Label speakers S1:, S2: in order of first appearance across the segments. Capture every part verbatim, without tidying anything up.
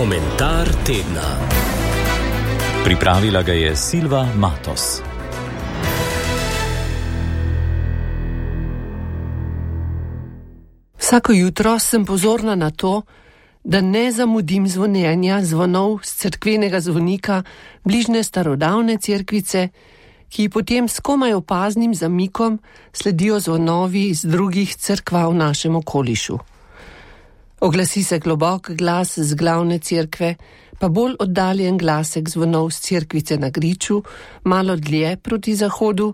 S1: Komentar tedna. Pripravila ga je Silva Matos.
S2: Vsako jutro sem pozorna na to, da ne zamudim zvonjenja zvonov z cerkvenega zvonika bližnje starodavne cerkvice, ki potem s komaj opaznim zamikom sledijo zvonovi iz drugih cerkva v našem okolišu. Oglasi se globok glas z glavne cerkve, pa bolj oddaljen glasek zvonov z cerkvice na Griču, malo dlje proti zahodu,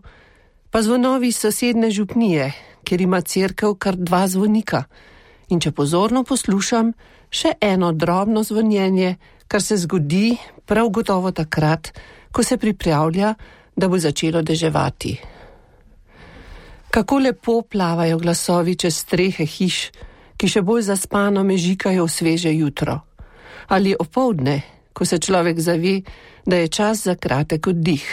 S2: pa zvonovi sosedne župnije, kjer ima cerkev kar dva zvonika. In če pozorno poslušam, še eno drobno zvonjenje, kar se zgodi prav gotovo takrat, ko se pripravlja, da bo začelo deževati. Kako lepo plavajo glasovi čez strehe hiš, ki še bolj zaspano mežikajo v sveže jutro. Ali opoldne, ko se človek zave, da je čas za kratek oddih.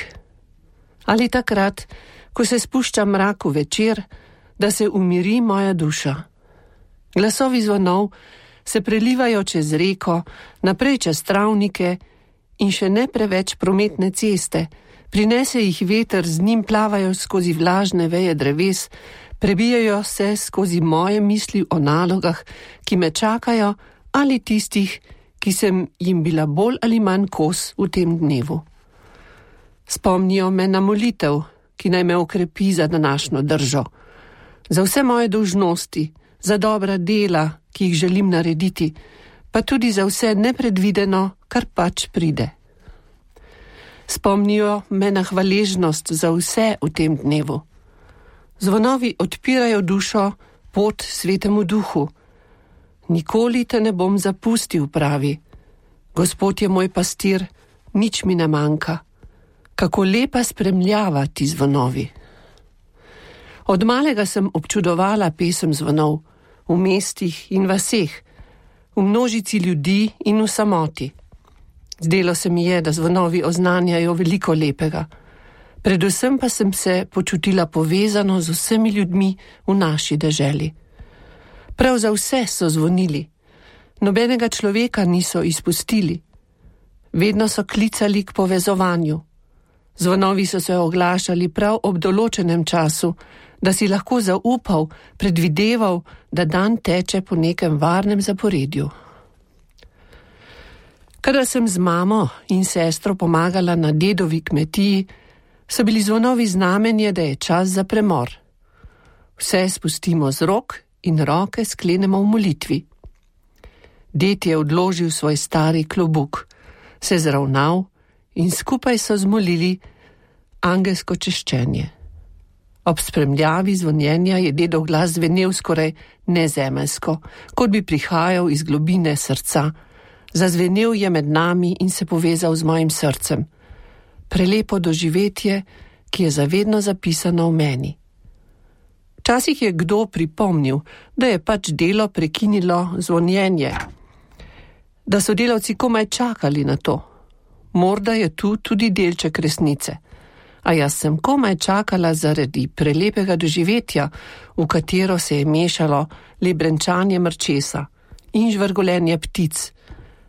S2: Ali takrat, ko se spušča mrak v večer, da se umiri moja duša. Glasovi zvonov se prelivajo čez reko, naprej čez travnike in še ne preveč prometne ceste, prinese jih veter, z njim plavajo skozi vlažne veje dreves, prebijajo se skozi moje misli o nalogah, ki me čakajo, ali tistih, ki sem jim bila bolj ali manj kos v tem dnevu. Spomnijo me na molitev, ki naj me okrepi za današnjo držo, za vse moje dolžnosti, za dobra dela, ki jih želim narediti, pa tudi za vse nepredvideno, kar pač pride. Spomnijo me na hvaležnost za vse v tem dnevu. Zvonovi odpirajo dušo, pot Svetemu Duhu. Nikoli te ne bom zapustil, pravi. Gospod je moj pastir, nič mi ne manjka. Kako lepa spremljava ti zvonovi. Od malega sem občudovala pesem zvonov, v mestih in vaseh, v množici ljudi in v samoti. Zdelo se mi je, da zvonovi oznanjajo veliko lepega. Predvsem pa sem se počutila povezano z vsemi ljudmi v naši deželi. Prav za vse so zvonili. Nobenega človeka niso izpustili. Vedno so klicali k povezovanju. Zvonovi so se oglašali prav ob določenem času, da si lahko zaupal, predvideval, da dan teče po nekem varnem zaporedju. Kadar sem z mamo in sestro pomagala na dedovi kmetiji, so bili zvonovi znamenje, da je čas za premor. Vse spustimo z rok in roke sklenemo v molitvi. Ded je odložil svoj stari klobuk, se zravnal in skupaj so zmolili angelsko češčenje. Ob spremljavi zvonjenja je dedov glas zvenel skoraj nezemeljsko, kot bi prihajal iz globine srca. Zazvenel je med nami in se povezal z mojim srcem. Prelepo doživetje, ki je zavedno zapisano v meni. Včasih je kdo pripomnil, da je pač delo prekinilo zvonjenje, da so delavci komaj čakali na to. Morda je tu tudi delček resnice, a jaz sem komaj čakala zaradi prelepega doživetja, v katero se je mešalo le brenčanje mrčesa in žvrgolenje ptic,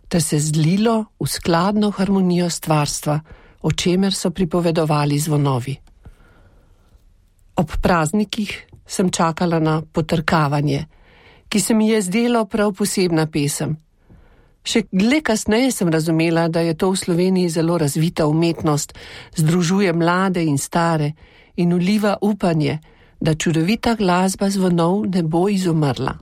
S2: ter se zlilo v skladno harmonijo stvarstva, o čemer so pripovedovali zvonovi. Ob praznikih sem čakala na potrkavanje, ki se mi je zdelo prav posebna pesem. Še le kasneje sem razumela, da je to v Sloveniji zelo razvita umetnost, združuje mlade in stare in vliva upanje, da čudovita glasba zvonov ne bo izumrla.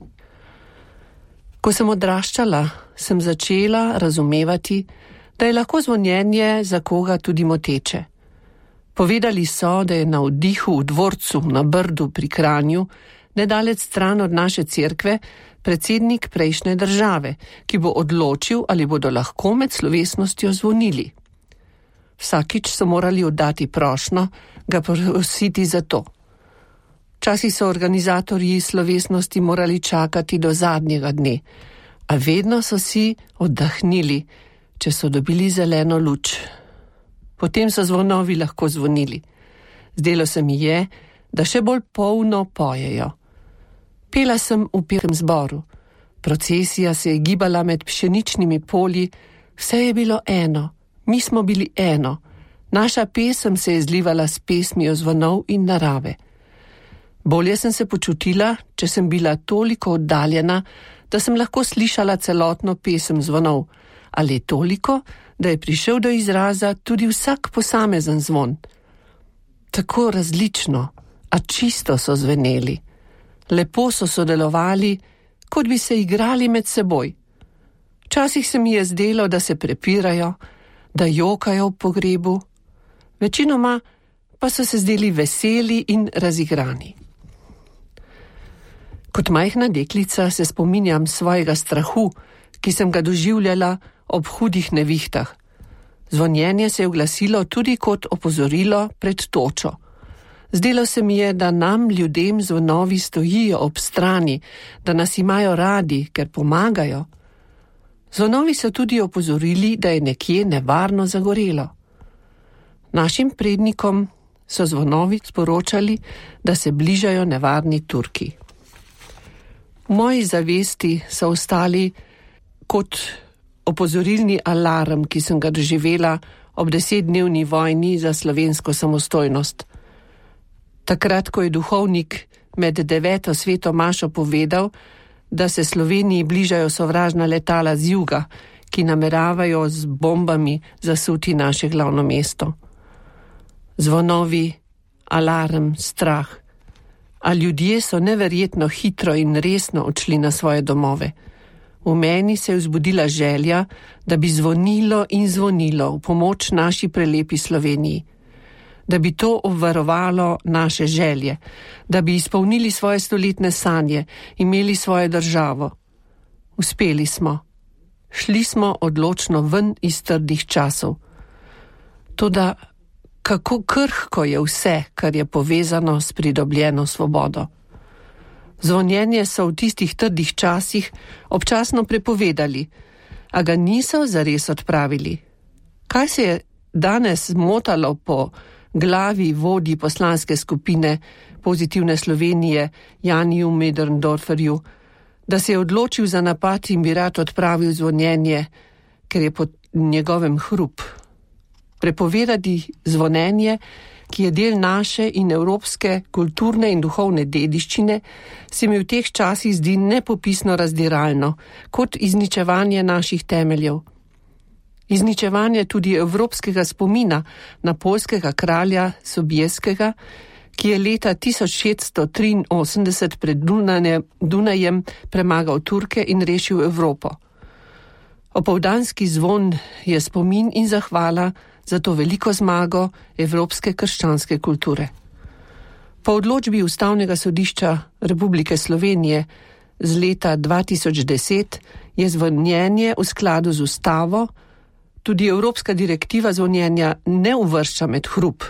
S2: Ko sem odraščala, sem začela razumevati, da je lahko zvonjenje za koga tudi moteče. Povedali so, da je na vdihu v dvorcu na Brdu pri Kranju, nedalec stran od naše cerkve, predsednik prejšnje države, ki bo odločil, ali bodo lahko med slovesnostjo zvonili. Vsakič so morali oddati prošnjo, ga prositi za to. Včasih so organizatorji slovesnosti morali čakati do zadnjega dne, a vedno so si oddahnili, če so dobili zeleno luč. Potem so zvonovi lahko zvonili. Zdelo se mi je, da še bolj polno pojejo. Pela sem v pevskem zboru, Procesija se je gibala med pšeničnimi polji, vse je bilo eno, mi smo bili eno, naša pesem se je zlivala s pesmijo zvonov in narave. Bolje sem se počutila, če sem bila toliko oddaljena, da sem lahko slišala celotno pesem zvonov, ali toliko, da je prišel do izraza tudi vsak posamezen zvon. Tako različno, a čisto so zveneli. Lepo so sodelovali, kot bi se igrali med seboj. Včasih se mi je zdelo, da se prepirajo, da jokajo v pogrebu, večinoma pa so se zdeli veseli in razigrani. Kot majhna deklica se spominjam svojega strahu, ki sem ga doživljala ob hudih nevihtah. Zvonjenje se je oglasilo tudi kot opozorilo pred točo. Zdelo se mi je, da nam ljudem zvonovi stojijo ob strani, da nas imajo radi, ker pomagajo. Zvonovi so tudi opozorili, da je nekje nevarno zagorelo. Našim prednikom so zvonovi sporočali, da se bližajo nevarni Turki. V moji zavesti so ostali kot opozorilni alarm, ki sem ga doživela ob desetdnevni vojni za slovensko samostojnost. Takrat, ko je duhovnik med deveto sveto mašo povedal, da se Sloveniji bližajo sovražna letala z juga, ki nameravajo z bombami zasuti naše glavno mesto. Zvonovi, alarm, strah. A ljudje so neverjetno hitro in resno odšli na svoje domove. V meni se je vzbudila želja, da bi zvonilo in zvonilo v pomoč naši prelepi Sloveniji. Da bi to obvarovalo naše želje, da bi izpolnili svoje stoletne sanje, imeli svojo državo. Uspeli smo. Šli smo odločno ven iz trdih časov. Toda kako krhko je vse, kar je povezano s pridobljeno svobodo. Zvonjenje so v tistih trdih časih občasno prepovedali, a ga niso zares odpravili. Kaj se je danes motalo po glavi vodji poslanske skupine Pozitivne Slovenije Janiju Möderndorferju, da se je odločil za napad in bi rad odpravil zvonjenje, ker je pod njegovem hrup. Prepovedati zvonjenje, ki je del naše in evropske kulturne in duhovne dediščine, se mi v teh časih zdi nepopisno razdiralno, kot izničevanje naših temeljev. Izničevanje tudi evropskega spomina na poljskega kralja Sobieskiego, ki je leta tisoč šeststo triinosemdeset pred Dunajem premagal Turke in rešil Evropo. Opoldanski zvon je spomin in zahvala za to veliko zmago evropske krščanske kulture. Po odločbi Ustavnega sodišča Republike Slovenije z leta dva tisoč deset je zvonjenje v skladu z ustavo, tudi evropska direktiva zvonjenja ne uvršča med hrup.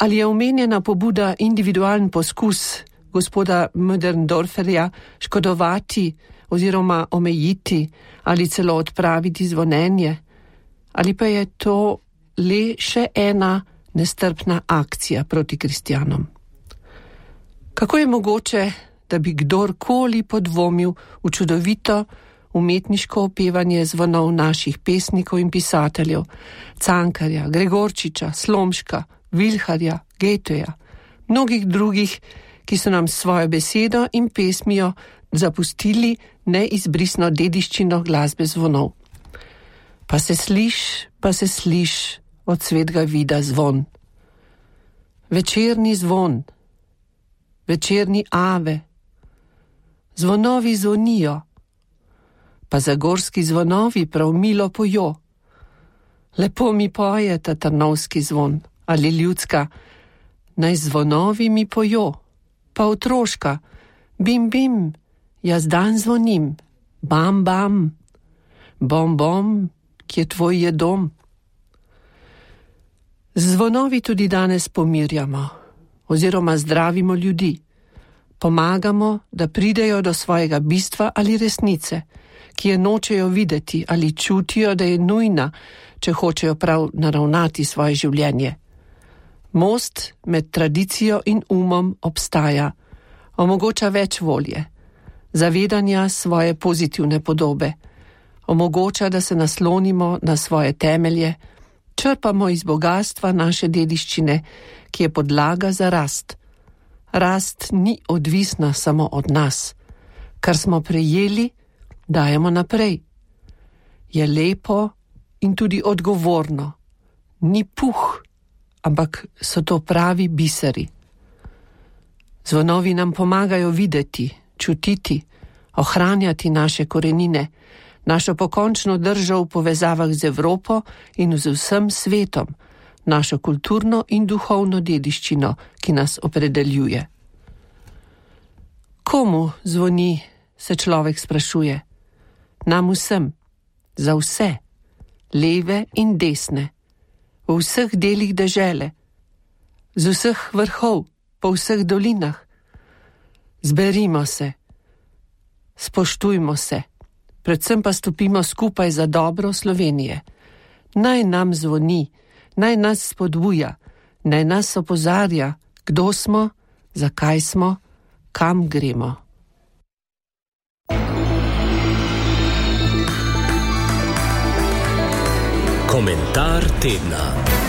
S2: Ali je omenjena pobuda individualen poskus gospoda Möderndorferja škodovati oziroma omejiti ali celo odpraviti zvonjenje? Ali pa je to le še ena nestrpna akcija proti kristjanom? Kako je mogoče, da bi kdorkoli podvomil v čudovito umetniško opevanje zvonov naših pesnikov in pisateljev, Cankarja, Gregorčiča, Slomška, Vilharja, Goetheja, mnogih drugih, ki so nam svojo besedo in pesmijo zapustili neizbrisno dediščino glasbe zvonov. Pa se sliš, pa se sliš od svetega vida zvon. Večerni zvon, večerni ave, zvonovi zvonijo, pa zagorski zvonovi prav milo pojo. Lepo mi poje ta trnovski zvon, ali ljudska, naj zvonovi mi pojo, pa otroška, bim bim, jaz dan zvonim, bam bam, bom bom, kje tvoj je dom. Z zvonovi tudi danes pomirjamo, oziroma zdravimo ljudi. Pomagamo, da pridejo do svojega bistva ali resnice, ki je nočejo videti ali čutijo, da je nujna, če hočejo prav naravnati svoje življenje. Most med tradicijo in umom obstaja, omogoča več volje. zavedanja svoje pozitivne podobe. Omogoča, da se naslonimo na svoje temelje, črpamo iz bogatstva naše dediščine, ki je podlaga za rast. Rast ni odvisna samo od nas. Kar smo prejeli, dajemo naprej. Je lepo in tudi odgovorno. Ni puh, ampak so to pravi biseri. Zvonovi nam pomagajo videti, čutiti, ohranjati naše korenine, našo pokončno držo v povezavah z Evropo in z vsem svetom, našo kulturno in duhovno dediščino, ki nas opredeljuje. Komu zvoni, se človek sprašuje? Nam vsem, za vse, leve in desne, v vseh delih dežele, z vseh vrhov, po vseh dolinah. Zberimo se, spoštujmo se, predvsem pa stopimo skupaj za dobro Slovenije. Naj nam zvoni, naj nas spodbuja, naj nas opozarja, kdo smo, zakaj smo, kam gremo.
S1: Komentar tedna.